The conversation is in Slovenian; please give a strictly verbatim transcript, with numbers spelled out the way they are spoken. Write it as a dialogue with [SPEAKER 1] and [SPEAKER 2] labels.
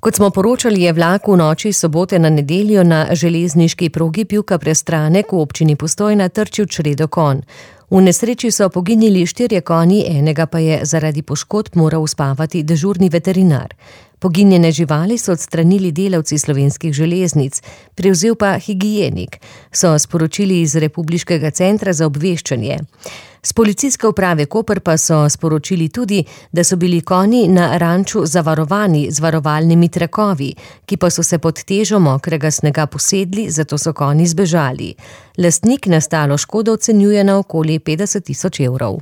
[SPEAKER 1] Kot smo poročali, je vlak v noči sobote na nedeljo na železniški progi Pivka-Prestranek v občini Postojna trčil čredo konj. V nesreči so poginili štirje konji, enega pa je zaradi poškodb moral uspavati dežurni veterinar. Poginjene živali so odstranili delavci Slovenskih železnic, prevzel pa higienik, so sporočili iz Republiškega centra za obveščanje. S policijske uprave Koper pa so sporočili tudi, da so bili konji na ranču zavarovani z varovalnimi trakovi, ki pa so se pod težo mokrega snega posedli, zato so konji zbežali. Lastnik nastalo škodo ocenjuje na okoli petdeset tisoč evrov.